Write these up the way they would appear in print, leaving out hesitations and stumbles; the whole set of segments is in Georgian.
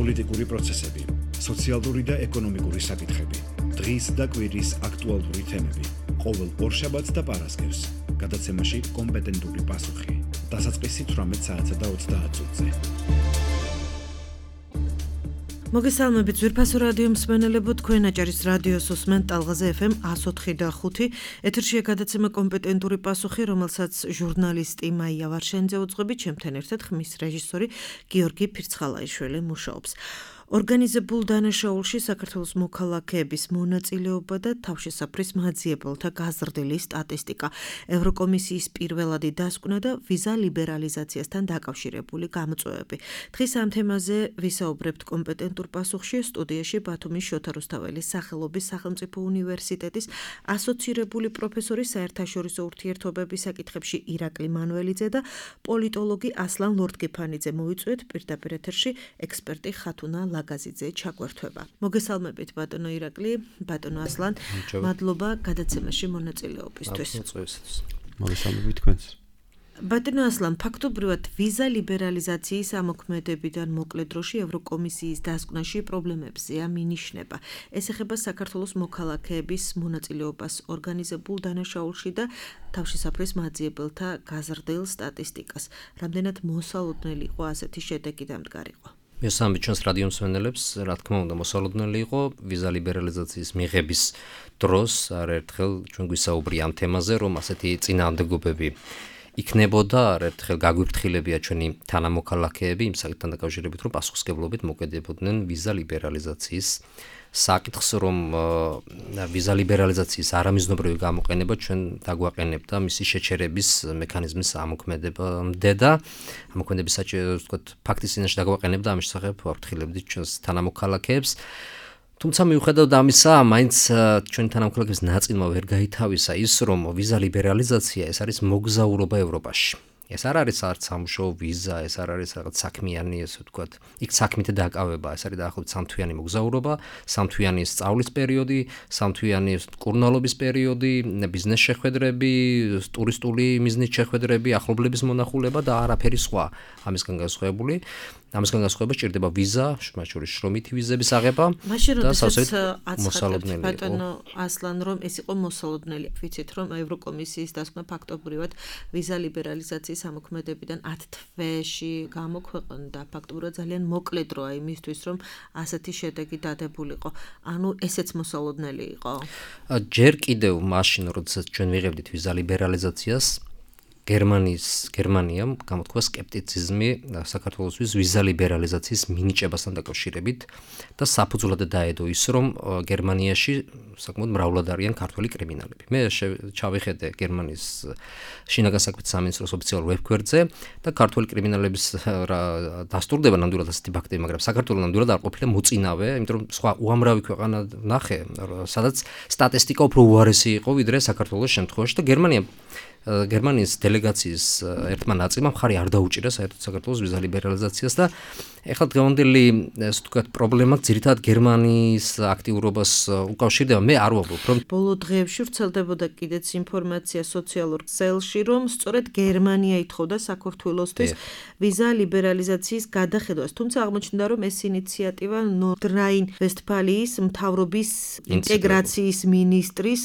პოლიტიკური პროცესები, სოციალური და ეკონომიკური საკითხები, დღის და კვირის აქტუალური თემები, ყოველ ორშაბათს და პარასკევს, გადაცემაში კომპეტენტური პასუხი, დასაწყისი 18 საათსა და 30 წუთზე. მოგესალმებით ძვირფასო რადიო მსმენელებო, თქვენ აჭარის რადიოს უსმენთ ტალღაზე FM 104.5. ეთერშია გადაცემა კომპეტენტური პასუხი, რომელსაც ჟურნალისტი მაია ვარშენიძე უძღვებით, ჩემთან ერთად ხმის რეჟისორი გიორგი ფირცხალაიშვილი მუშაობს. ორგანიზებულ დანაშაულში საქართველოს მოქალაქეების მონაწილეობა და თავშესაფრის მაძიებელთა გაზრდილი სტატისტიკა, ევროკომისიის პირველადი დასკვნა და ვიზა ლიბერალიზაციასთან დაკავშირებული გამოწვევები. დღეს ამ თემაზე ვისაუბრებთ კომპეტენტურ პასუხში. სტუდიაში ბათუმის შოთა რუსთაველის სახელობის სახელმწიფო უნივერსიტეტის ასოცირებული პროფესორი, საერთაშორისო ურთიერთობების საკითხებში ირაკლი მანველიძე და პოლიტოლოგი ასლან ლორდგიფანიძე. მოიწვიეთ პირდაპირ ეთერში ექსპერტი ხათუნა ლაგაზიძე ჩაგვერთვება. მოგესალმებით ბატონო ირაკლი, ბატონო ასლან, მადლობა გადაცემაში მონაწილეობისთვის. მოგესალმებით თქვენს. ბატონო ასლან, ფაქტობრივად ვიზა ლიბერალიზაციის ამოქმედებიდან მოკლე დროში ევროკომისიის დასკვნაში პრობლემებზეა მინიშნება. ეს ეხება საქართველოს მოქალაქეების მონაწილეობას ორგანიზებულ დანაშაულში და თავშესაფრის მაძიებელთა გაზრდილ სტატისტიკას. რამდენად მოსალოდნელი იყო ასეთი შედეგი დამდგარიყო? მესამე ჩვენს რადიო მსმენელებს, რა თქმა უნდა, მოსალოდნელი იყო ვიზა ლიბერალიზაციის მიღების დროს არაერთხელ ჩვენ გვისაუბრია ამ თემაზე, რომ ასეთი წინააღმდეგობები იქნებოდა, არაერთხელ გაგვიფრთხილებია ჩვენი თანამოქალაქეები იმ საკითხთან დაკავშირებით, რომ პასუხისმგებლობით მოკიდებოდნენ ვიზა ლიბერალიზაციის საკითხს, რომ ვიზა ლიბერალიზაციის არამიზნობრივი გამოყენება ჩვენ დაგვაყენებდა მისი შეჩერების მექანიზმის ამოქმედებამდე და ამოქმედების ფაქტის წინაშე დაგვაყენებდა ამის შესახებ ვაფრთხილებდით ჩვენს თანამოქალაქეებს. თუმცა მიუხედავად ამისა, მაინც ჩვენი თანამოქალაქეების ნაწილმა ვერ გაითავისა ის, რომ ვიზა ლიბერალიზაცია ეს არის მოგზაურობა ევროპაში. ეს არ არის არც სამუშაო ვიზა, ეს არ არის რაღაც საქმიანი, ესე ვთქვათ, იქ საქმითი დაკავება, ეს არის დაახლოებით 3 თვიანი მოგზაურობა, 3 თვიანი სწავლის პერიოდი, 3 თვიანი კურნალობის პერიოდი, ბიზნეს შეხვედრები, ტურისტული მიზნით შეხვედრები, ახლობლების მონახულება და არაფერი სხვა. ამისგან განსხვავება სჭირდება ვიზა, მათ შორის შრომითი ვიზების აღება და სავსებით მოსალოდნელი. ბატონო ასლან, რომ ეს იყო მოსალოდნელი. ვიცით, რომ ევროკომისიის დასკვნა ფაქტობრივად ვიზა ლიბერალიზაციის ამოქმედებიდან 10 თვეში გამოქვეყნდა. ფაქტობრივად ძალიან მოკლე დროა იმისთვის, რომ ასეთი შედეგი დადებულიყო. ანუ ესეც მოსალოდნელი იყო. ჯერ კიდევ მაშინ, როდესაც ჩვენ ვიღებდით ვიზა ლიბერალიზაციას, გერმანიამ გამოთქვა სკეპტიციზმი საქართველოსთვის ვიზა ლიბერალიზაციის მინიჭებასთან დაკავშირებით და საფუძვლად დაედო ის, რომ გერმანიაში საკმაოდ მრავლად არიან ქართველი კრიმინალები. მე ჩავიხედე გერმანიის შინაგან საქმეთა სამინისტროს ოფიციალურ ვებგვერდზე და ქართველი კრიმინალების დასტურდება ნამდვილად ასეთი ფაქტები, მაგრამ საქართველოს ნამდვილად არ ყოფილა მოწინავე, იმიტომ რომ სხვა უამრავი ქვეყანა ნახე, სადაც სტატისტიკა უფრო უარესი იყო ვიდრე საქართველოს შემთხვევაში და გერმანიის დელეგაციის ერთმა ნაწილმა მხარი არ დაუჭირა საერთოდ საქართველოს ვიზა ლიბერალიზაციას და ეხლა დღევანდელი ესე ვთქვათ პრობლემა ძირითადად გერმანიის აქტიურობას უკავშირდება. მე არ ვამბობ, რომ ბოლო დღეებში ვრცელდებოდა კიდეც ინფორმაცია სოციალურ ქსელში, რომ სწორედ გერმანია ითხოვდა საქართველოსთვის ვიზა ლიბერალიზაციის გადახედვას. თუმცა აღმოჩნდა, რომ ეს ინიციატივა ნორდრაინ-ვესტფალიის მთავრობის ინტეგრაციის მინისტრის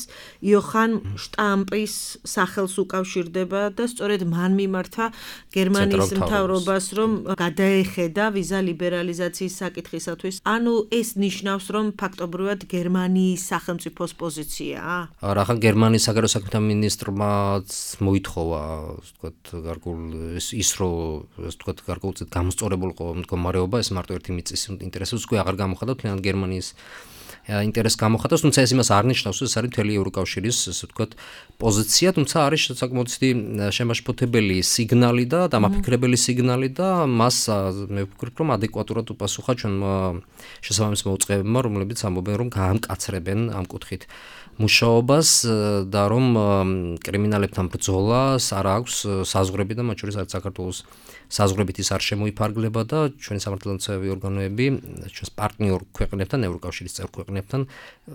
იოხან შტამპის სახელს უკავშირდება და სწორედ მან მიმართა გერმანიის მთავრობას, რომ გადაეხედა ვიზა ლიბერალიზაციის საკითხისათვის. ანუ ეს ნიშნავს, რომ ფაქტობრივად გერმანიის სახელმწიფოს პოზიციაა? რახან გერმანიის საგარეო საქმეთა მინისტრმა მოითხოვა, ვთქვათ, გარკვეულწილად გამოსწორებულიყო მდგომარეობა, ეს მარტო ერთი მიწის ინტერესებს უკვე აღარ გამოხატავს, თლიანად გერმანიის ინტერესს გამოხატავს, თუმცა ეს იმას არ ნიშნავს, რომ ეს არის მთელი ევროკავშირის, ასე ვთქვათ, პოზიცია, თუმცა არის საკმაოდ შემაშფოთებელი სიგნალი და დამაფიქრებელი სიგნალი და მას მე ვფიქრობ, რომ ადეკვატურად უპასუხა ჩვენმა შესაბამის მოუწყებებმა, რომლებიც ამბობენ, რომ გაამკაცრებენ ამ კუთხით მუშაობას და რომ კრიმინალებთან ბრძოლას არ აქვს საზღვრები და მათ შორის არც საქართველოს საზღვრებით ის არ შემოიფარგლება და ჩვენი სამართალდამცავი ორგანოები ჩვენს პარტნიორ ქვეყნებთან, ევროკავშირის წევრ ქვეყნებთან ქვეყნებთან,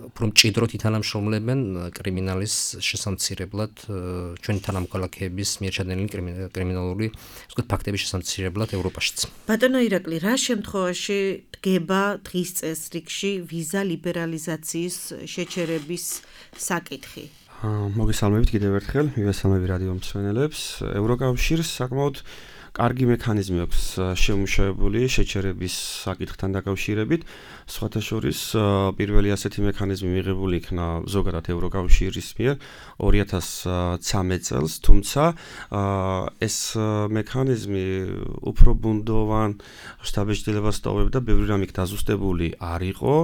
უფრო მჭიდროდ ითანამშრომლებენ კრიმინალის შესამცირებლად, ჩვენი თანამოქალაქეების მიერ ჩადენილი კრიმინალური, ასე ვთქვათ, ფაქტების შესამცირებლად ევროპაშიც. ბატონო ირაკლი, რა შემთხვევაში დგება დღის წესრიგში ვიზა ლიბერალიზაციის შეჩერების საკითხი? მოგესალმებით კიდევ ერთხელ, მივესალმები რადიო მსმენელებს. ევროკავშირს საკმაოდ კარგი მექანიზმი აქვს შემუშავებული შეჩერების საკითხთან დაკავშირებით. სხვათა შორის პირველი ასეთი მექანიზმი მიღებული იქნა ზოგადად ევროკავშირის მიერ 2013 წელს, თუმცა ეს მექანიზმი უფრო ბუნდოვან შთაბეჭდილებას ტოვებდა, ბევრი რამ იქ დაზუსტებული არ იყო.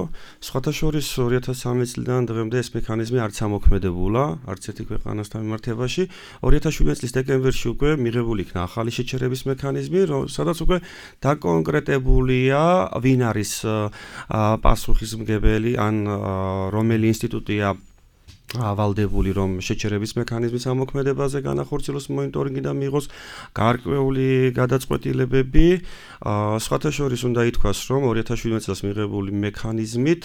სხვათა შორის 2013 წლიდან დღემდე ეს მექანიზმი არც ამოქმედებულა, არც ერთი ქვეყანასთან მიმართებაში. 2017 წლის დეკემბერში უკვე მიღებული იქნა ახალი შეჩერების მექანიზმი, სადაც უკვე დაკონკრეტებულია, ვინ არის პასუხისმგებელი ან რომელი ინსტიტუტია ვალდებული, რომ შეჩერების მექანიზმის ამოქმედებაზე განახორციელოს მონიტორინგი და მიიღოს გარკვეული გადაწყვეტილებები. სხვათა შორის უნდა ითქვას, რომ 2017 წელს მიღებული მექანიზმით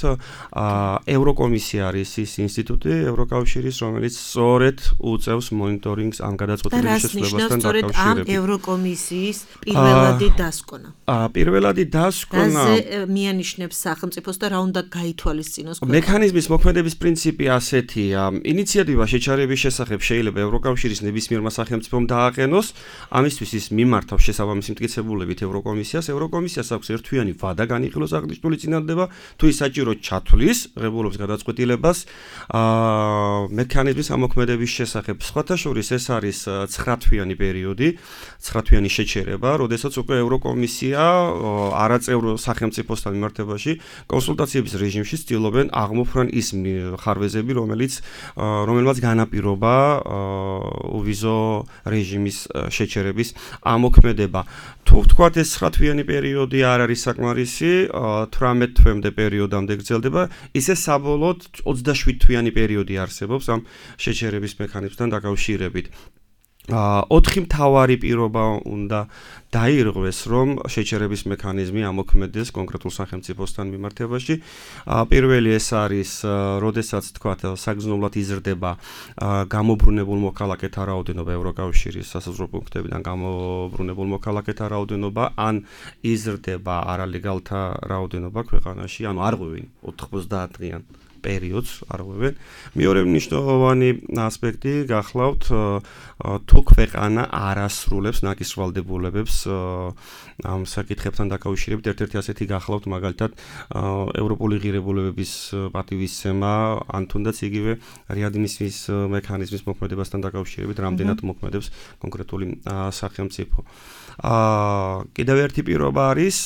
ევროკომისია არის ის ინსტიტუტი ევროკავშირის, რომელიც სწორედ უწევს მონიტორინგს ამ გადაწყვეტილების შესრულებასთან დაკავშირებით. ამ ევროკომისიის პირველადი დასკვნა. პირველადი დასკვნა რაზე მიანიშნებს სახელმწიფოს და რა უნდა გაითვალისწინოს? მექანიზმის მოქმედების პრინციპი ასეთია. ინიციატივა შეჩერების შესახებ შეიძლება ევროკავშირის ნებისმიერმა სახელმწიფომ დააყენოს, ამისთვის ის მიმართავს შესაბამისი მტკიცებულებით ევროკომისიას. ევროკომისიას აქვს ერთთვიანი ვადა განიხილოს აღნიშნული წინადადება, თუ ის საჭიროდ ჩათვლის ღებულობს გადაწყვეტილებას მექანიზმის ამოქმედების შესახებ. სხვათა შორის ეს არის 9-თვიანი პერიოდი, 9-თვიანი შეჩერება, როდესაც უკვე ევროკომისია არაწევრ სახელმწიფოსთან მიმართებაში კონსულტაციების რეჟიმში ცდილობენ აღმოფრან ის ხარვეზები, რომელმაც განაპირობა ვიზო რეჟიმის შეჩერების ამოქმედება. თუ ვთქვათ ეს 9-თვიანი პერიოდი არ არის საკმარისი, 18 თვემდე პერიოდამდე გრძელდება, ისე საბოლოოდ 27-თვიანი პერიოდი არსებობს ამ შეჩერების მექანიზმთან დაკავშირებით. 4 მთავარი პირობა უნდა დაირღვეს, რომ შეჩერების მექანიზმი ამოქმედეს კონკრეტულ სახელმწიფოსთან მიმართებაში. პირველი ეს არის, როდესაც თქვათ, საგრძნობლად იზრდება გამობრუნებულ მოქალაქეთა რაოდენობა ევროკავშირის სასაზღვრო პუნქტებიდან გამობრუნებულ მოქალაქეთა რაოდენობა, ან იზრდება არალეგალთა რაოდენობა ქვეყანაში, ანუ არ ღვევენ 90 დღიან პერიოდს არ ღვევენ. მეორე მნიშვნელოვანი ასპექტი გახლავთ, თუ ქვეყანა არ ასრულებს ნაკის ვალდებულებებს ამ საკითხებთან დაკავშირებით. ერთ-ერთი ასეთი გახლავთ მაგალითად ევროპული ღირებულებების პატივისცემა, ან თუნდაც იგივე რეადმისიის მექანიზმის მოქმედებასთან დაკავშირებით, რამდენად მოქმედებს კონკრეტული სახელმწიფო. კიდევ ერთი პირობა არის,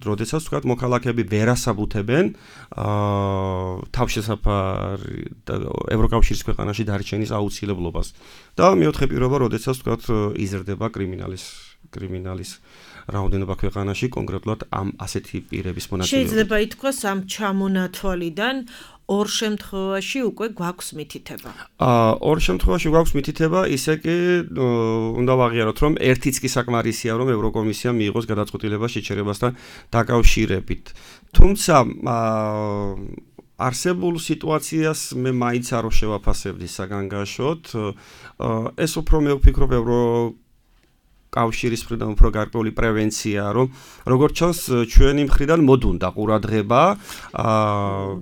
როდესაც თქვათ მოქალაქეები ვერ ასაბუთებენ თავშესაფარ ევროკავშირის ქვეყანაში დარჩენის აუცილებლობას. და მეოთხე პირობა, როდესაც თქვათ იზრდება კრიმინალის რაოდენობა ქვეყანაში, კონკრეტულად ამ ასეთი პირების მონაწილეობით. შეიძლება ითქვას, ამ ჩამონათვალიდან ორ შემთხვევაში უკვე გვაქვს მითითება. ორ შემთხვევაში გვაქვს მითითება, ისე კი უნდა ვაღიაროთ, რომ ერთიც კი საკმარისია, რომ ევროკომისია მიიღოს გადაწყვეტილება შეჩერებასთან დაკავშირებით. თუმცა არსებულ სიტუაციას მე მაინც არ შევაფასებდი საგანგაშოდ. ეს უფრო მე ვფიქრობ კავშირის მხრიდან უფრო გარკვეული პრევენცია, რომ როგორც ჩანს ჩვენი მხრიდან მოდუნდა ყურადღება.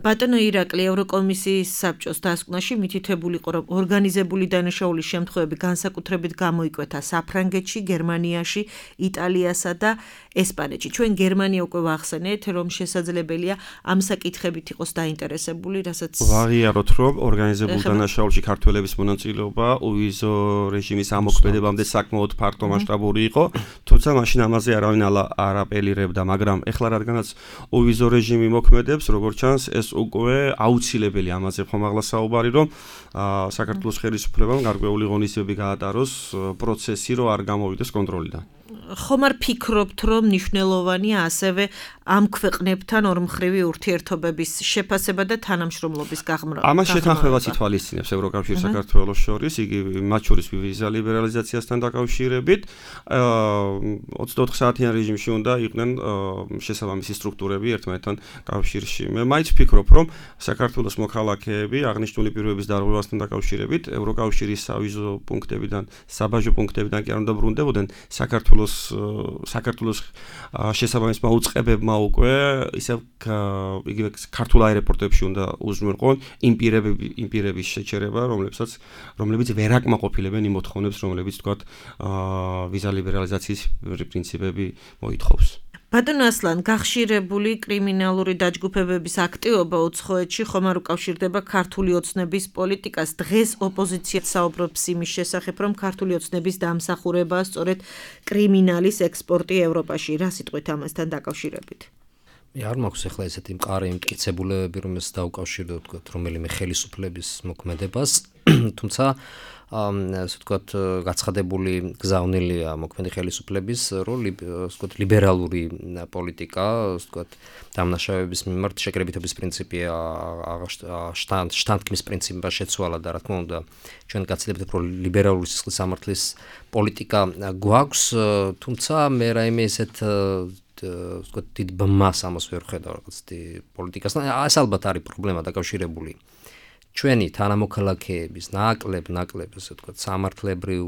ბატონო ირაკლი, ევროკომისიის საბჭოს დასკვნაში მითითებული იყო, რომ ორგანიზებული დანაშაულის შემთხვევები განსაკუთრებით გამოიკვეთა საფრანგეთში, გერმანიაში, იტალიასა და ესპანეთში. ჩვენ გერმანია უკვე ვახსენეთ, რომ შესაძლებელია ამ საკითხებით იყოს დაინტერესებული, რასაც ვაღიაროთ, რომ ორგანიზებულ დანაშაულში ქართველების მონაწილეობა უვიზო რეჟიმის ამოქმედებამდე საკმაოდ ფართო მასშტაბური იყო, თუმცა მაშინ ამაზე არავინ არ აპელირებდა, მაგრამ ეხლა რადგანაც უვიზო რეჟიმი მოქმედებს, როგორც ჩანს, ეს უკვე აუცილებელი, ამაზე ხომ ახლა საუბარი, რომ საქართველოს ხელისუფლებამ გარკვეული ღონისძიებები გაატაროს პროცესი, რომ არ გამოვიდეს კონტროლიდან. ხომ არ ფიქრობთ, რომ მნიშვნელოვანია ასევე ამ ქვეყნებთან ორმხრივი ურთიერთობების შეფასება და თანამშრომლობის გაღრმავა? ამას შეთანხმებას ითვალისწინებს ევროკავშირი საქართველოს შორის, იგი მათ შორის ვიზა ლიბერალიზაციასთან დაკავშირებით 24 საათიან რეჟიმში უნდა იყვნენ შესაბამისი სტრუქტურები ერთმანეთთან კავშირში. მე მაინც ვფიქრობ, რომ საქართველოს მოქალაქეები აღნიშნული პირობების დარღვევასთან დაკავშირებით ევროკავშირის სავიზო პუნქტებიდან, საბაჟო პუნქტებიდან კი არ უნდა ბრუნდებოდნენ საქართველოს შესაბამისმა უწყებებმა უკვე ისევ იგივე ქართულ აეროპორტებში უნდა უზრუნველყონ იმ პირების შეჩერება, რომლებიც ვერ აკმაყოფილებენ იმ მოთხოვნებს, რომლებიც თქვათ ვიზა ლიბერალიზაციის პრინციპები მოითხოვს. ბატონო ასლან, გახშირებული კრიმინალური დაჯგუფებების აქტივობა უცხოეთში ხომ არ უკავშირდება ქართული ოცნების პოლიტიკას? დღეს ოპოზიცია საუბრობს იმის შესახებ, რომ ქართული ოცნების დამსახურებაა სწორედ კრიმინალის ექსპორტი ევროპაში. რა სიტყვით ამასთან დაკავშირებით? მე არ მაქვს ახლა ესეთი მყარი მტკიცებულებები, რომელიც დაუკავშირდო თქვათ რომელიმე ხელისუფლების მოქმედებას, თუმცა ასე ვთქვათ, გაცხადებული გზავნილია მოქმედი ხელისუფლების როლი, ასე ვთქვათ, ლიბერალური პოლიტიკა, ასე ვთქვათ, დამნაშავეების მიმართ შეკრებითობის პრინციპი შტანდკის პრინციპმა შეცვალა და რა თქმა უნდა, ჩვენ გაცილებით უფრო ლიბერალური სისხლის სამართლის პოლიტიკა გვაქვს, თუმცა მე რაიმე ესეთ ვთქვათ, დიდ ბმას ამას ვერ ვხედავ რაღაც პოლიტიკასთან. ეს ალბათ არის პრობლემა დაკავშირებული ჩვენი თანამოქალაქეების ნაკლებ, ასე ვთქვათ, სამართლებრივ,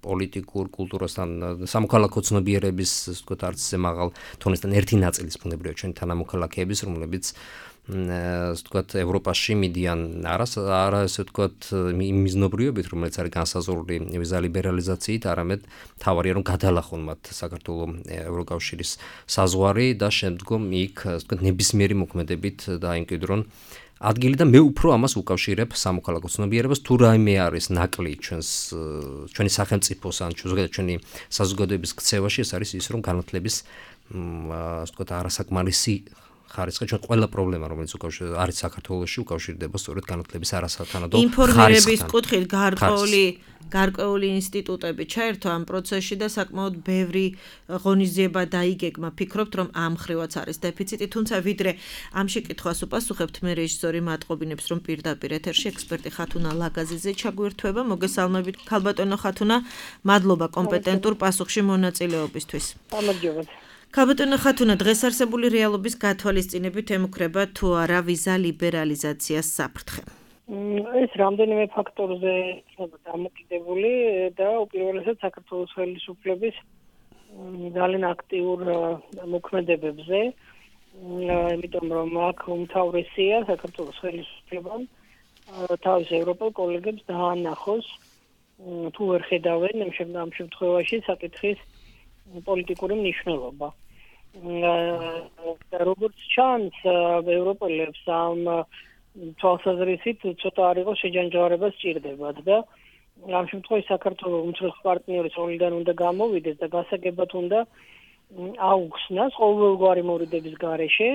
პოლიტიკურ კულტურასთან, სამოქალაქო ცნობიერების, ასე ვთქვათ, არცზე მაღალ თონისთან ერთი ნაწილის ბუნებრივია ჩვენი თანამოქალაქეების, რომლებიც ასე ვთქვათ, ევროპაში მიდიან არა ასე ვთქვათ, მიზნობრიობით, რომელიც არის განსაზღვრული ვიზა ლიბერალიზაციით, არამედ თავარია რომ გადალახონ მათ საქართველოს ევროკავშირის საზღვარი და შემდგომ იქ, ასე ვთქვათ, ნებისმიერი მოქმედებით დაიმკვიდრონ ადგილი და მე უფრო ამას უკავშირებ სამოქალაქო ცნობიერებას, თუ რაიმე არის ნაკლი ჩვენი სახელმწიფოს ან ზოგადად ჩვენი საზოგადოების ქცევაში, ეს არის ის, რომ განათლების ასე ვთქვათ, არასაკმარისი ხარისხი, ჩვენ ყველა პრობლემა, რომელიც არის საქართველოში, უკავშირდება სწორედ განათლების არასათანადო ხარისხთან. ინფორმირების კუთხით გარკვეული ინსტიტუტები ჩაერთო ამ პროცესში და საკმაოდ ბევრი ღონისძიება დაიგეგმა. ფიქრობთ, რომ ამ ხრივაც არის დეფიციტი, თუმცა ვიდრე ამ შეკითხვას უპასუხებთ, მე რეჟისორი მატყობინებს, რომ პირდაპირ ეთერში ექსპერტი ხათუნა ლაგაზიძე ჩაგვირთვება. მოგესალმებით, ქალბატონო ხათუნა, მადლობა კომპეტენტურ პასუხში მონაწილეობისთვის. გამარჯობათ. ქალბატონო ხათუნა, დღეს არსებული რეალობის გათვალისწინებით ემუქრება თუ არა ვიზა ლიბერალიზაციას საფრთხე? ეს რამდენიმე ფაქტორზე დამოკიდებული და უპირველესად საქართველოს ხელისუფლების ძალიან აქტიურ მოქმედებებზე, იმიტომ რომ აქ უმთავრესია საქართველოს ხელისუფლებამ თავის ევროპელ კოლეგებს დაანახოს, თუ ვერ ხედავენ ამ შემთხვევაში საკითხის პოლიტიკური მნიშვნელობა. როგორც ჩანს, ევროპელებს ამ თვალსაზრისით ცოტა არ იყოს შეჯანჯღარება სჭირდებათ და ამ შემთხვევაში საქართველოს უმცროსი პარტნიორის როლიდან უნდა გამოვიდეს და გასაგებად უნდა აუხსნას ყოველგვარი მორიდების გარეშე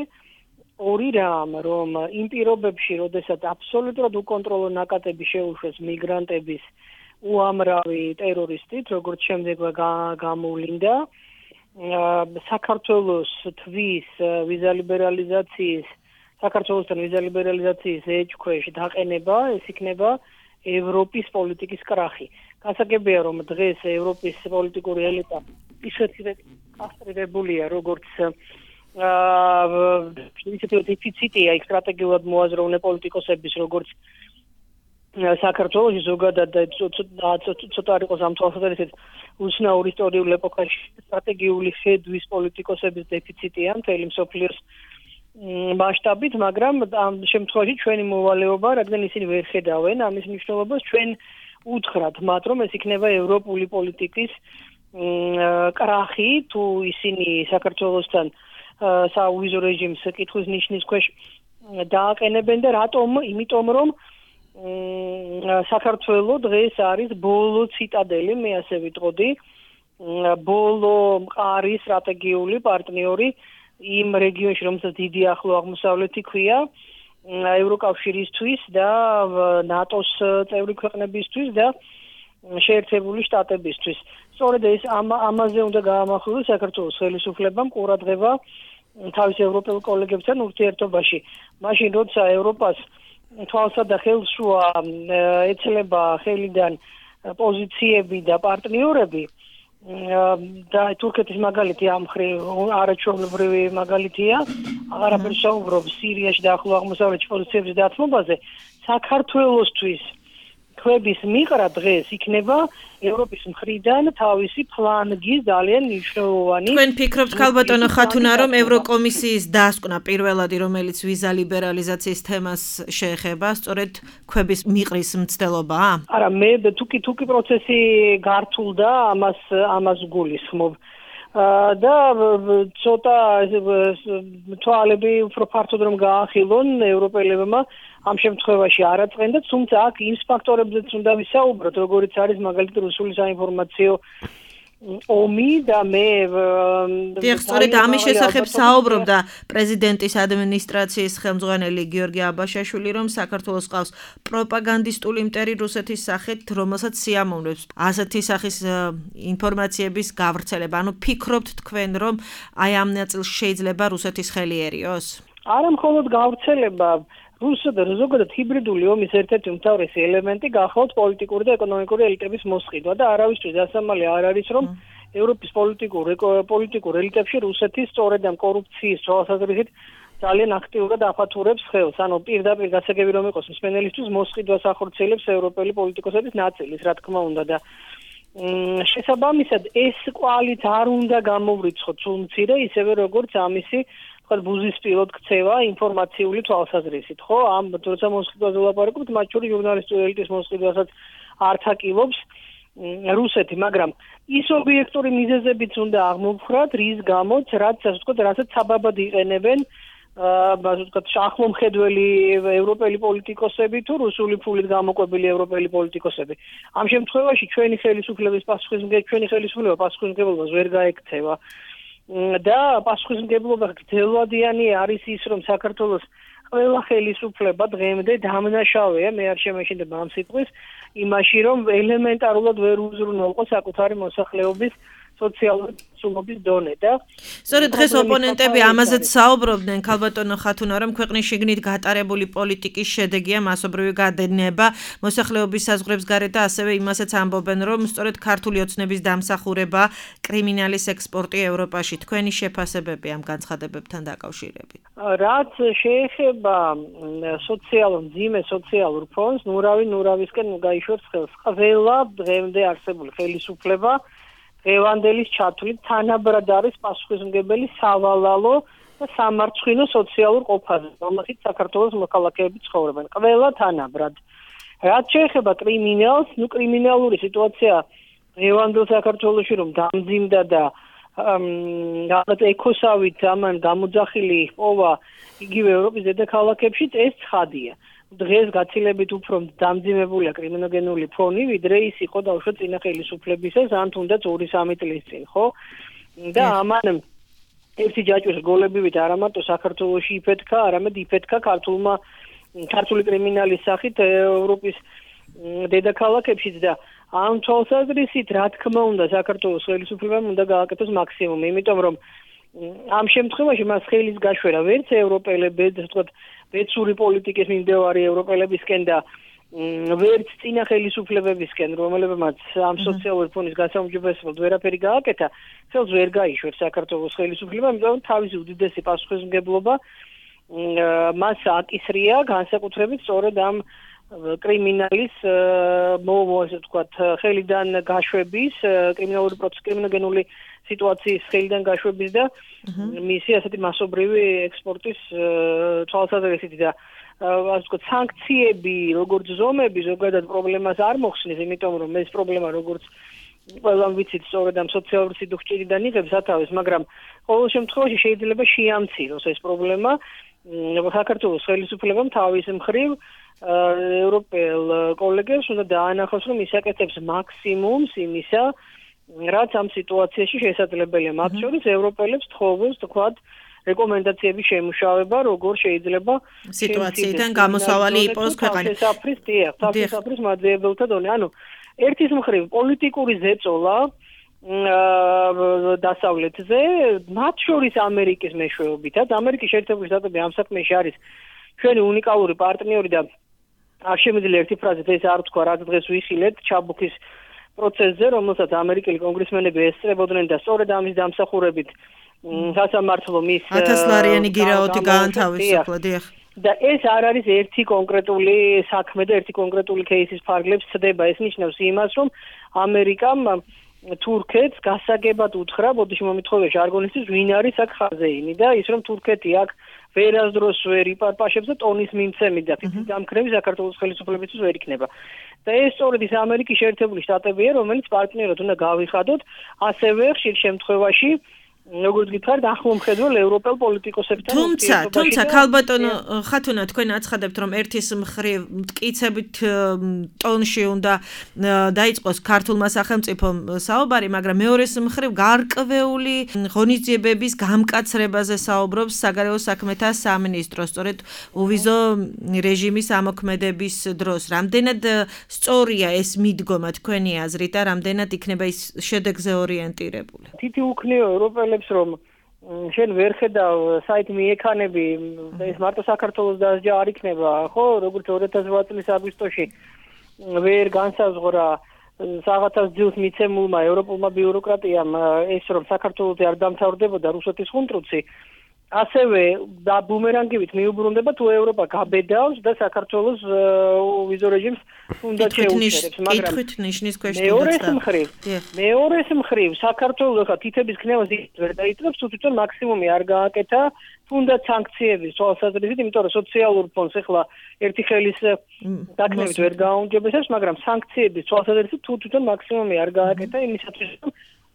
ორი რამ, რომ იმ პირობებში, როდესაც აბსოლუტურად უკონტროლო ნაკადები შეუშვეს მიგრანტების უამრავი ტერორისტით, როგორც შემდეგ გამოვლინდა, საქართველოს თვის ვიზა ლიბერალიზაციის საქართველოსთან ვიზა ლიბერალიზაციის ეჭქვეშ დაყენება, ეს იქნება ევროპის პოლიტიკის კრახი. გასაგებია, რომ დღეს ევროპის პოლიტიკური ელიტა ისეთი კასტრირებულია, როგორც ისეთი დეფიციტია იქ სტრატეგიულად მოაზროვნე პოლიტიკოსების, როგორც საქართველოს ზოგადად და ცოტა არ იყოს ამ თვალსაზრისით უცნაურ ისტორიულ ეპოქაში სტრატეგიული ხედვის პოლიტიკოსების დეფიციტია მთელი მსოფლიოს მასშტაბით, მაგრამ ამ შემთხვევაში ჩვენი მოვალეობა, რადგან ისინი ვერ ხედავენ ამის მნიშვნელობას, ჩვენ უთხრათ მათ, რომ ეს იქნება ევროპული პოლიტიკის კრახი, თუ ისინი საქართველოსთან საუვიზო რეჟიმს კითხვის ნიშნის ქვეშ დააყენებენ და რატომ? იმიტომ რომ საქართველო დღეს არის ბოლო ციტადელი, მე ასე ვიტყოდი, ბოლო მყარი სტრატეგიული პარტნიორი იმ რეგიონში, რომელსაც დიდი ახლო აღმოსავლეთი ქვია, ევროკავშირისთვის და ნატოს წევრი ქვეყნებისთვის და შეერთებული შტატებისთვის. სწორედ ეს ამაზე უნდა გაამახვილოს საქართველოს ხელისუფლებამ ყურადღება თავის ევროპელ კოლეგებთან ურთიერთობაში. მაშინ როცა ევროპას თვალსა და ხელშუა ეცლება ხელიდან პოზიციები და პარტნიორები და თურქეთის მაგალითი ამ მხრივ არაჩვეულებრივი მაგალითია, აღარაფერს საუბრობს სირიაში და ახლო აღმოსავლეთში პოზიციების დათმობაზე, საქართველოსთვის ქვების მიყრა დღეს იქნება ევროპის მხრიდან თავისი ფლანგის ძალიან მნიშვნელოვანი. თქვენ ფიქრობთ ქალბატონო ხათუნა, რომ ევროკომისიის დასკვნა პირველადი, რომელიც ვიზა ლიბერალიზაციის თემას შეეხება, სწორედ ქვების მიყრის მცდელობაა? არა, მე თუკი პროცესი გართულდა, ამას გულისხმობ. და ცოტა თვალები უფრო ფართოდ რომ გაახილონ ევროპელებმა ამ შემთხვევაში არ აწყენ და თუმცა აქ იმ ფაქტორებზეც უნდა ვისაუბროთ, როგორიც არის მაგალითად რუსული საინფორმაციო ომი და მე სწორედ ამის შესახებ საუბრობდა პრეზიდენტის ადმინისტრაციის ხელმძღვანელი გიორგი აბაშაშვილი, რომ საქართველოს ყავს პროპაგანდისტული მტერი რუსეთის სახით, რომელსაც სიამოვნებს ასეთი სახის ინფორმაციების გავრცელება. ანუ ფიქრობთ თქვენ, რომ აი ამ ნაწილს შეიძლება რუსეთის ხელი ერიოს? არა მხოლოდ გავრცელება, ზოგადად ჰიბრიდული ომის ერთ-ერთი უმთავრესი ელემენტი გახავთ პოლიტიკური და ეკონომიკური ელიტების მოსყიდვა და არავისთვის დასამალი არ არის, რომ ევროპის პოლიტიკურ ელიტებში რუსეთის სწორედ ამ კორუფციის თვალსაზრისით ძალიან აქტიურად აფათურებს ხელს. ანუ პირდაპირ გასაგები რომ იყოს მსმენელისთვის მოსყიდვას ახორციელებს ევროპელი პოლიტიკოსების ნაწილის, რა თქმა უნდა და შესაბამისად ეს კვალით არ უნდა გამოვრიცხოთ სულ მცირე, ისევე როგორც ამისი ბუზისპილოდ ქცევა ინფორმაციული თვალსაზრისით, ხო? ამ როცა მოსყიდვაზე ვლაპარაკობთ, მათ შორის ჟურნალისტური ელიტის მოსყიდვასაც ართ-აკილობს რუსეთი, მაგრამ ის ობიექტური მიზეზებიც უნდა აღმოფხრათ, რის გამოც, რასაც საბაბად იყენებენ ახლომხედველი ევროპელი პოლიტიკოსები თუ რუსული ფულით გამოკვებილი ევროპელი პოლიტიკოსები. ამ შემთხვევაში ჩვენი ხელისუფლება პასუხისმგებლობას ვერ გაექცევა. და პასუხისმგებლობა გრძელვადიანი არის ის, რომ საქართველოს ყველა ხელისუფლება დღემდე დამნაშავეა, მე არ შემეშინდება ამ სიტყვის, იმაში, რომ ელემენტარულად ვერ უზრუნველყო საკუთარი მოსახლეობის სოციალური სულობის დონე და სწორედ დღეს ოპონენტები ამაზეც საუბრობდნენ ქალბატონო ხათუნა, რომ ქვეყნის შიგნით გატარებული პოლიტიკის შედეგია მასობრივი გადადება მოსახლეობის საზღვრებს გარეთ და ასევე იმასაც ამბობენ, რომ სწორედ ქართული ოცნების დამსახურება კრიმინალის ექსპორტი ევროპაში. თქვენი შეფასებები ამ განცხადებებთან დაკავშირებით? რაც შეეხება მძიმე სოციალურ ფონს, ნურავისკენ გაიშვებს ხელს ყველა დღემდე არსებული ხელისუფლება დღევანდელის ჩათვლით თანაბრად არის პასუხისმგებელი სავალალო და სამარცხვინო სოციალურ ყოფაზე, რომელშიც საქართველოს მოქალაქეები ცხოვრობენ. ყველა თანაბრად. რაც შეეხება კრიმინალს, კრიმინალური სიტუაცია დღევანდელ საქართველოში რომ დამძიმდა და რაღაც ეკოსავით ამან გამოძახილი ჰპოვა იგივე ევროპის დედაქალაქებშიც, ეს ცხადია. დღეს გაცილებით უფრო დამძიმებულია კრიმინოგენული ფონი, ვიდრე ის იყო დაუშვათ წინა ხელისუფლებისას, ან თუნდაც 2-3 წლის წინ, ხო? და ამან ერთი ჯაჭვის გოლებივით არა მარტო საქართველოში იფეთქა, არამედ იფეთქა ქართული კრიმინალის სახით ევროპის დედაქალაქებშიც და ამ თვალსაზრისით, რა თქმა უნდა, საქართველოს ხელისუფლებამ უნდა გააკეთოს მაქსიმუმი, იმიტომ რომ ამ შემთხვევაში მას ხელის გაშვერა ვერც ევროპელებს, ვთქვათ, ბეცური პოლიტიკის მიმდევარი ევროპელებისკენ და ვერც წინა ხელისუფლებებისკენ, რომლებმაც ამ სოციალური ფონის გასაუმჯობესებლად ვერაფერი გააკეთა, ხელს ვერ გაიშვერს საქართველოს ხელისუფლებამ, იმიტომ რომ თავისი უდიდესი პასუხისმგებლობა მას აკისრია განსაკუთრებით სწორედ ამ კრიმინალის ესე ვთქვათ, ხელიდან გაშვების, კრიმინოგენული სიტუაციის ხელიდან გაშვების და მისი ასეთი მასობრივი ექსპორტის თვალსაზრისით და ასე ვთქვათ, სანქციები, როგორც ზომები, ზოგადად პრობლემას არ მოხსნის, იმიტომ რომ ეს პრობლემა როგორც ყველამ ვიცით, სწორედ ამ სოციალური სიდუხჭირიდან იღებს სათავეს, მაგრამ ყოველ შემთხვევაში შეიძლება შეამციროს ეს პრობლემა. საქართველოს ხელისუფლებამ თავის მხრივ ევროპელ კოლეგებს უნდა დაანახოს, რომ ისაკეთებს მაქსიმუმს იმისა, რაც ამ სიტუაციაში შესაძლებელია. მათ შორის ევროპელებს თხოვებს, თქვათ, რეკომენდაციების შემუშავება, როგორ შეიძლება სიტუაციიდან გამოსავალი იყოს ქვეყანა. საფრის მაძიებელთა დონე. ანუ ერთის მხრივ პოლიტიკური ზეწოლა დასავლეთზე, მათ შორის ამერიკის მეშვეობითაც, ამერიკის შეერთებული შტატები ამ საქმეში არის ჩვენი უნიკალური პარტნიორი და არ შემიძლია ერთი ფრაზით ეს არ თქვა, რაც დღეს ვიხილეთ ჩაბუქის პროცესზე, რომელსაც ამერიკელი კონგრესმენები ესწრებოდნენ და სწორედ ამის დამსახურებით სასამართლო მის 1000 ლარიანი გირაოთი გაანთავისუფლა, დიახ. და ეს არ არის ერთი კონკრეტული საქმე და ერთი კონკრეტული кейსის ფარგლებს ცდება. ეს ნიშნავს იმას, რომ ამერიკამ თურქეთს გასაგებად უთხრა, ბოდიში მომითხოვე ჟარგონისთვის, ვინ არის აქ ხაზეინი და ის რომ თურქეთი აქ ვერასდროს ვერ იპარპაშებს და ტონის მიმცემი და თითქმის დამქრევი საქართველოს ხელისუფლებისთვის ვერ იქნება. და ეს სწორედ ის ამერიკის შეერთებული შტატებია, რომელიც პარტნიორად უნდა გავიხადოთ, ასევე ხშირ შემთხვევაში როგორც გითხარით, ახლომხედველ ევროპელ პოლიტიკოსებთან თუმცა ქალბატონო ხათუნა თქვენ აცხადებთ, რომ ერთის მხრივ მტკიცებით ტონში უნდა დაიწყოს ქართულმა სახელმწიფომ საუბარი, მაგრამ მეორეს მხრივ გარკვეული ღონისძიებების გამკაცრებაზე საუბრობს საგარეო საქმეთა სამინისტრო, სწორედ უვიზო რეჟიმის ამოქმედების დროს. რამდენად სწორია ეს მიდგომა თქვენი აზრით და რამდენად იქნება ის შედეგზე ორიენტირებული? თითი უქნიო ევროპელებს რომ შენ ვერ ხედავ საით მიექანები და ეს მარტო საქართველოს დასჯა არ იქნება, ხო, როგორც 2008 წლის აგვისტოში ვერ განსაზღვრა საღათას ძილს მიცემულმა ევროპულმა ბიუროკრატიამ ეს რომ საქართველოზე არ დამთავრდებოდა რუსეთის ხუნტრუცი, ასევე და ბუმერანგივით მიუბრუნდება თუ ევროპა გაბედავს და საქართველოს ვიზო რეჟიმს უნდა შეუჩერებს, მაგრამ კითხვით ნიშნის ქვეშ მეორეს მხრივ საქართველოს ხა თითების ქნევას ვერ დაიწყებს, თუ თვითონ მაქსიმუმი არ გააკეთა, თუნდაც სანქციების თვალსაზრისით, იმიტომ რომ სოციალურ ფონდს ახლა ერთი ხელის დაკნევით ვერ გააუმჯობესებს, მაგრამ სანქციების თვალსაზრისით თუ თვითონ მაქსიმუმი არ გააკეთა იმისათვის, რომ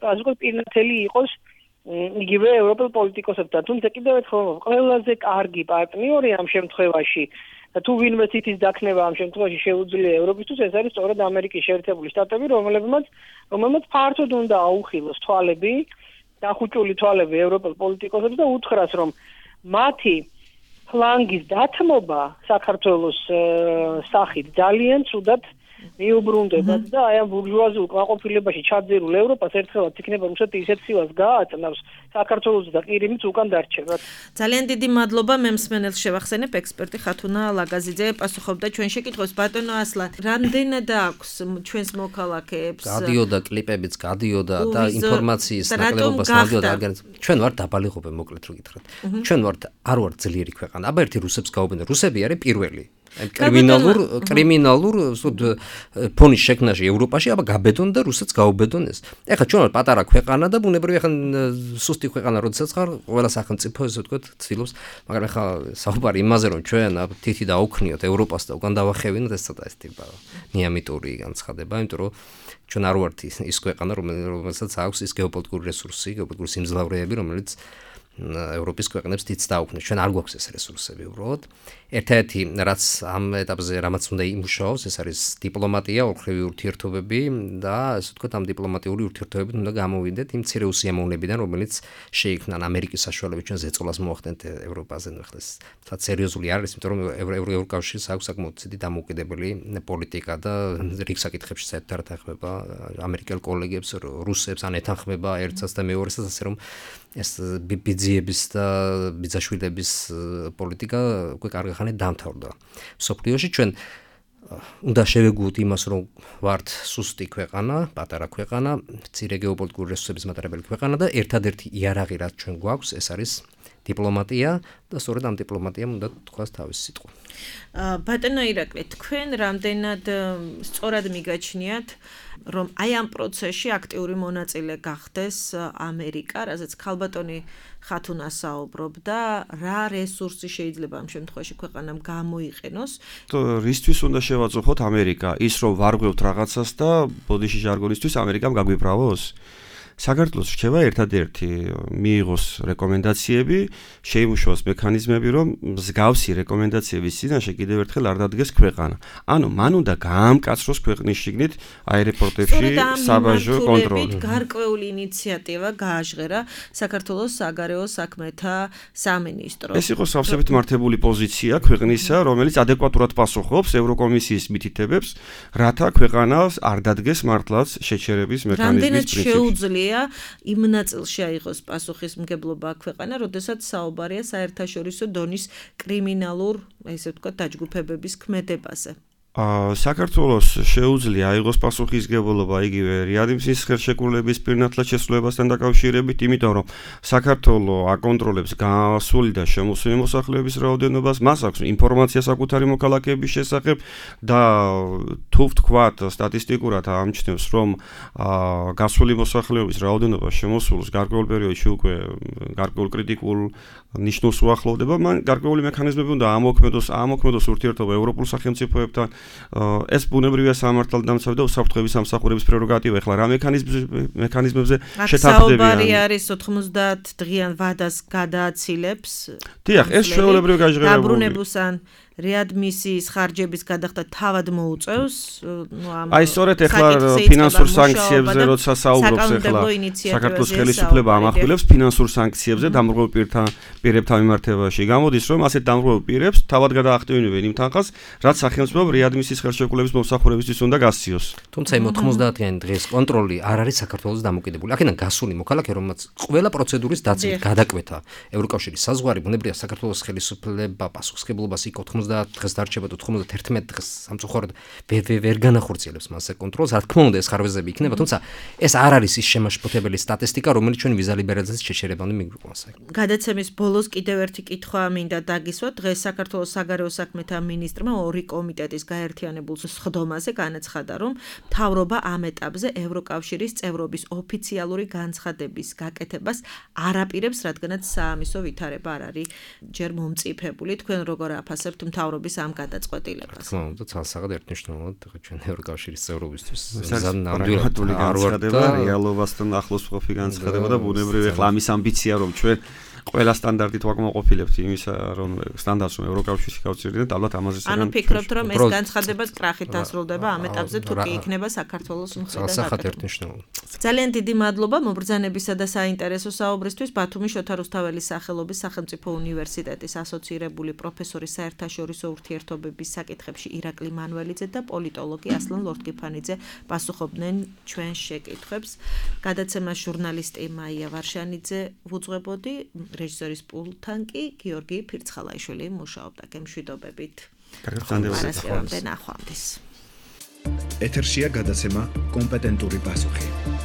ასე ვთქვათ, პირნათელი იყოს იგივე ევროპელ პოლიტიკოსებთან, თუმცა კიდევ ერთხელ ყველაზე კარგი პარტნიორი ამ შემთხვევაში და თუ ვინმე ცითის დაქნება ამ შემთხვევაში შეუძლია ევროპისთვის, ეს არის სწორედ ამერიკის შეერთებული შტატები, რომელმაც ფართოდ უნდა აუხილოს თვალები, დახუჭული თვალები ევროპელ პოლიტიკოსებს და უთხრას, რომ მათი ფლანგის დათმობა საქართველოს სახით ძალიან ცუდად მიუბრუნდებათ და აი ამ ბურჟუაზიულ კმაყოფილებაში ჩაძირულ ევროპას ერთხელაც იქნება რუსეთი ისეთ სილას გააწნავს საქართველოს და ყირიმიც უკან დარჩებათ. ძალიან დიდი მადლობა მემსმენელს შევახსენებ ექსპერტი ხათუნა ლაგაზიძე პასუხობდა ჩვენ შეკითხვას. ბატონო ასლან, რამდენად აქვს ჩვენს მოქალაქეებს გადიოდა კლიპებიც გადიოდა და ინფორმაციის ნაკლებობას გადიოდა ჩვენ ვართ დაბალიღობე მოკლედ რო გითხრათ. ჩვენ ვართ არ ვართ ძლიერი ქვეყანა. აბა ერთი რუსებს გაუბნე, რუსები არის პირველი კრიმინალურ ფონის შექმნაში ევროპაში, აბა გაბედონ და რუსეთს გაუბედონ ეს. ეხლა ჩვენ ვართ პატარა ქვეყანა და ბუნებრივია ხან სუსტი ქვეყანა როდესაც ხარ, ყველა სახელმწიფო ესე ვთქვათ ცდილობს, მაგრამ ეხლა საუბარი იმაზე რომ ჩვენ თითი დაუქნიოთ ევროპას და უკან დავახევინოთ, ეს ცოტა ეს ტიპა ნიამიტური განცხადება, იმიტომ რომ ჩვენ არ ვართ ის ქვეყანა, რომელსაც აქვს ის გეოპოლიტიკური რესურსი, გეოპოლიტიკური სიმძლავრეები, რომელიც ევროპის ქვეყნებს დიდ დაუქნეს. ჩვენ არ გვაქვს ეს რესურსები უბრალოდ. ერთ-ერთი რაც ამ ეტაპზე რამაც უნდა იმუშაოს, ეს არის დიპლომატია, ოლქრივი ურთიერთობები და ასე ვთქვათ, ამ დიპლომატიური ურთიერთობებით უნდა გამოვიდეთ იმ მცირე უსიამოვნებიდან, რომელიც შეიქმნა ამერიკის საშუალებით ჩვენ ზეწოლას მოახდენთ ევროპაზე. ახლა ეს თათ სერიოზული არის, იმიტომ რომ ევროკავშირს აქვს საკმაოდ დიდი დამოუკიდებელი პოლიტიკა და რიგ საკითხებში საერთოდ არ ეთანხმება ამერიკელ კოლეგებს, რუსებს, ან ეთანხმება ერთსაც და მეორესაც, ასე რომ ეს ბიძიების და ბიძაშვილების პოლიტიკა უკვე კარგი ხანი დამთავრდა. სოფლიოში ჩვენ უნდა შევეგუოთ იმას, რომ ვართ სუსტი ქვეყანა, პატარა ქვეყანა, მცირე გეოპოლიტიკური რესურსების მატარებელი ქვეყანა და ერთადერთი იარაღი რაც ჩვენ გვაქვს, ეს არის დიპლომატია და სწორედ ამ დიპლომატიამ უნდა თქვას თავისი სიტყვა. ბატონო ირაკლი, თქვენ რამდენად სწორად მიგაჩნიათ, რომ აი ამ პროცესში აქტიური მონაწილე გახდეს ამერიკა, რაზეც ქალბატონი ხათუნა საუბრობდა, რა რესურსი შეიძლება ამ შემთხვევაში ქვეყანამ გამოიყენოს? რისთვის უნდა შევაწუხოთ ამერიკა? ის რომ ვარღვევთ რაღაცას და ბოდიში ჟარგონისთვის ამერიკამ გაგვიბრალოს? საქართველოს რჩება ერთადერთი მიიღოს რეკომენდაციები, შეიმუშაოს მექანიზმები, რომ მსგავსი რეკომენდაციების წინაშე კიდევ ერთხელ არ დადგეს ქვეყანა. ანუ მან უნდა გაამკაცროს ქვეყნის შიგნით აეროპორტებში საბაჟო კონტროლი. გარკვეული ინიციატივა გააჟღერა საქართველოს საგარეო საქმეთა სამინისტროს. ეს იყო სავსებით მართებული პოზიცია ქვეყნისა, რომელიც ადეკვატურად პასუხობს ევროკომისიის მითითებებს, რათა ქვეყანას არ დადგეს მართლაც შეჩერების მექანიზმის პრინციპი. შეუძლია იმ ნაწილში აიღოს პასუხისმგებლობა ქვეყანა, როდესაც საუბარია საერთაშორისო დონის კრიმინალურ, ესე ვთქვათ, დაჯგუფებების ქმედებაზე. საქართველოს შეუძლია აიღოს პასუხისმგებლობა იგივე რეადმისიის ხელშეკრულების პირნათლად შესრულებასთან დაკავშირებით, იმიტომ რომ საქართველო აკონტროლებს გასული და შემოსული მოსახლეობის რაოდენობას, მას აქვს ინფორმაცია საკუთარი მოქალაქეების შესახებ და თუ ვთქვათ სტატისტიკურად ამჩნევს, რომ გასული მოსახლეობის რაოდენობა შემოსულს გარკვეულ პერიოდში უკვე გარკვეულ კრიტიკულ ნიშნულს უახლოვდება, მან გარკვეული მექანიზმები უნდა ამოქმედოს ურთიერთობა ევროპულ სახელმწიფოებთან. ეს ბუნებრივია სამართალდამცავი და უსაფრთხოების სამსახურების პრეროგატივა. ეხლა რა მექანიზმებზე შეთანხმდებიან? საუბარი არის 90 დღიან ვადას გადააცილებს. დიახ, ეს ჩვეულებრივი გაჟღერებული. დაბრუნებულს ან რეადმისიის ხარჯების გადახდა თავად მოუწევს, აი სწორედ ეხლა ფინანსურ სანქციებზე როცა საუბრობს ეხლა საქართველოს ხელისუფლება ამახვილებს ფინანსურ სანქციებზე დამრღვევ პირებთან მიმართებაში. გამოდის რომ ასეთ დამრღვევ პირებს თავად გადაახტევინებენ იმ თანხას, რაც სახელმწიფომ რეადმისიის ხელშეკრულების მომსახურებისთვის უნდა გასციოს. თუმცა იმ 90-იანი დღის კონტროლი არ არის საქართველოს დამოკიდებული. აქედან გასული მოქალაქე, რომელსაც ყველა პროცედურის დაცვით გადაკვეთა ევროკავშირის საზღვარი, ბუნებრივია საქართველოს ხელისუფლება პასუხისმგებლობას იქ 90 დღეს დარჩება 91 დღეს სამწუხაროდ ვერ განახორციელებს მასე კონტროლს. რა თქმა უნდა ეს ხარვეზები იქნება, თუმცა ეს არ არის ის შემაშფოთებელი სტატისტიკა, რომელიც ჩვენ ვიზა ლიბერალიზაციის შეჩერებამდე მიგვიყვანს. გადაცემის ბოლოს კიდევ ერთი კითხვა მინდა დაგისვათ. დღეს საქართველოს საგარეო საქმეთა მინისტრმა ორი კომიტეტის გაერთიანებულ სხდომაზე განაცხადა, რომ მთავრობა ამ ეტაპზე ევროკავშირის წევრობის ოფიციალური განცხადების გაკეთებას არ აპირებს, რადგანაც საამისო ვითარება არ არის ჯერ მომწიფებული. თქვენ როგორ აფასებთ მთავრობის ამ გადაწყვეტილებას? თქმა უნდა, ცალსაღად ერთნიშნულად ჩვენ ევროკავშირის წევრობისთვის ნამდვილად განცხადება, რეალობასთან ახლოს მყოფი განცხადება და ბუნებრივია ახლა ამის ამბიცია რომ ჩვენ ყველა სტანდარტით ვაკმაყოფილებთ იმისა, რომ სტანდარტს რომ ევროკავშირში გავწირდეთ, ალბათ ამაზე ანუ ფიქრობთ, რომ ეს განცხადება კრახით დასრულდება ამ ეტაპზე, თუ კი იქნება საქართველოს მხრიდან. ძალიან დიდი მადლობა მობრძანებისა და საინტერესო საუბრისთვის. ბათუმის შოთა რუსთაველის სახელობის სახელმწიფო უნივერსიტეტის ასოცირებული პროფესორი საერთაშორისო ურთიერთობების საკითხებში ირაკლი მანველიძე და პოლიტოლოგი ასლან ლორთგიფანიძე პასუხობდნენ ჩვენ შეკითხვებს. გადაცემას ჟურნალისტი მაია ვარშანიძე უძღვებოდი, რეჟისორის პულტთან კი გიორგი ფირცხალაიშვილი მუშაობდა. გემშვიდობებით. კარგად, ნახვამდის. ეთერშია გადაცემა კომპეტენტური პასუხი.